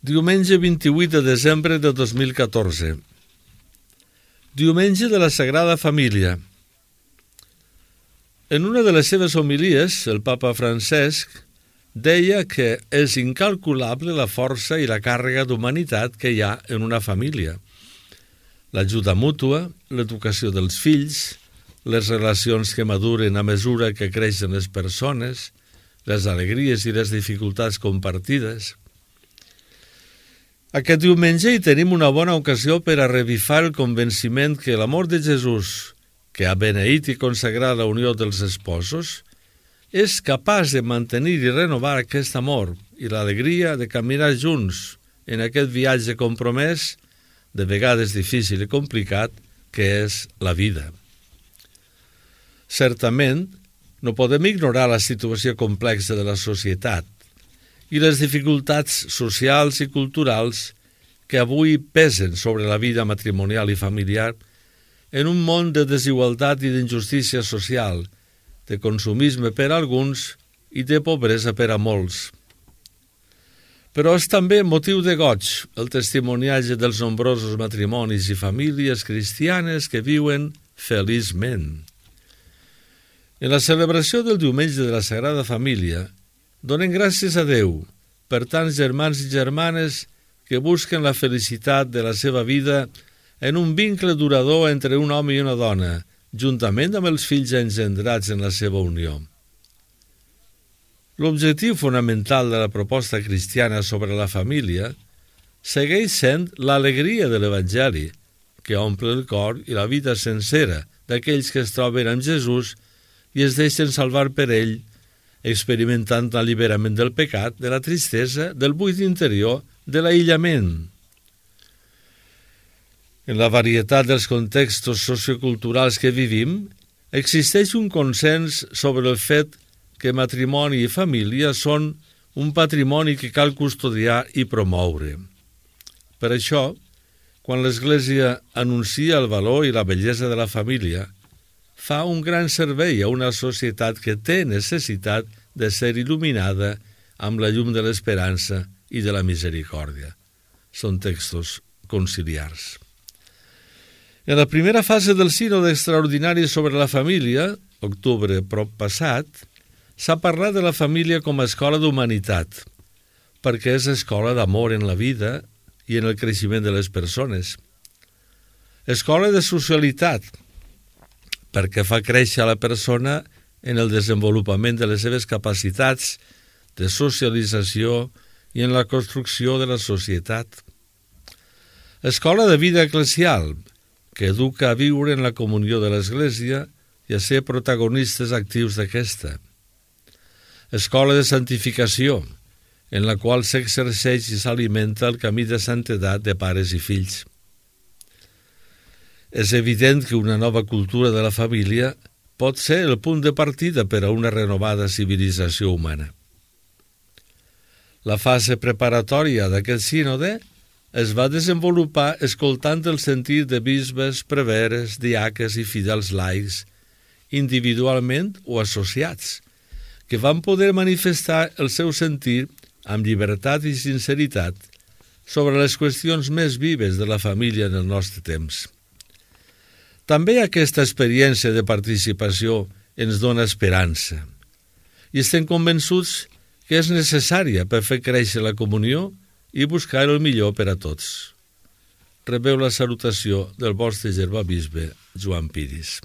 Diumenge 28 de desembre de 2014. Diumenge de la Sagrada Família. En una de les seves homilies, el papa Francesc deia que és incalculable la força i la càrrega d'humanitat que hi ha en una família. L'ajuda mútua, l'educació dels fills, les relacions que maduren a mesura que creixen les persones, les alegries i les dificultats compartides. Aquest diumenge hi tenim una bona ocasió per a revifar el convenciment que l'amor de Jesús, que ha beneït i consagrat la unió dels esposos, és capaç de mantenir i renovar aquest amor i l'alegria de caminar junts en aquest viatge compromès, de vegades difícil i complicat, que és la vida. Certament, no podem ignorar la situació complexa de la societat i les dificultats socials i culturals que avui pesen sobre la vida matrimonial i familiar en un món de desigualtat i d'injustícia social, de consumisme per a alguns i de pobresa per a molts. Però és també motiu de goig el testimoniatge dels nombrosos matrimonis i famílies cristianes que viuen feliçment. En la celebració del diumenge de la Sagrada Família, donem gràcies a Déu per tants germans i germanes que busquen la felicitat de la seva vida en un vincle durador entre un home i una dona, juntament amb els fills engendrats en la seva unió. L'objectiu fonamental de la proposta cristiana sobre la família segueix sent l'alegria de l'Evangeli, que omple el cor i la vida sencera d'aquells que es troben amb Jesús i es deixen salvar per ell, experimentant l'alliberament del pecat, de la tristesa, del buit interior, de l'aïllament. En la varietat dels contextos socioculturals que vivim, existeix un consens sobre el fet que matrimoni i família són un patrimoni que cal custodiar i promoure. Per això, quan l'Església anuncia el valor i la bellesa de la família, fa un gran servei a una societat que té necessitat de ser il·luminada amb la llum de l'esperança i de la misericòrdia. Són textos conciliars. En la primera fase del sínode extraordinari sobre la família, octubre passat, s'ha parlat de la família com a escola d'humanitat, perquè és escola d'amor en la vida i en el creixement de les persones. Escola de socialitat, perquè fa créixer la persona en el desenvolupament de les seves capacitats de socialització i en la construcció de la societat. Escola de vida eclesial, que educa a viure en la comunió de l'Església i a ser protagonistes actius d'aquesta. Escola de santificació, en la qual s'exerceix i s'alimenta el camí de santedat de pares i fills. És evident que una nova cultura de la família pot ser el punt de partida per a una renovada civilització humana. La fase preparatòria d'aquest sínode es va desenvolupar escoltant el sentir de bisbes, preveres, diaques i fidels laics, individualment o associats, que van poder manifestar el seu sentir amb llibertat i sinceritat sobre les qüestions més vives de la família en el nostre temps. També aquesta experiència de participació ens dona esperança i estem convençuts que és necessària per fer créixer la comunió i buscar el millor per a tots. Rebeu la salutació del vostre germà bisbe Joan Piris.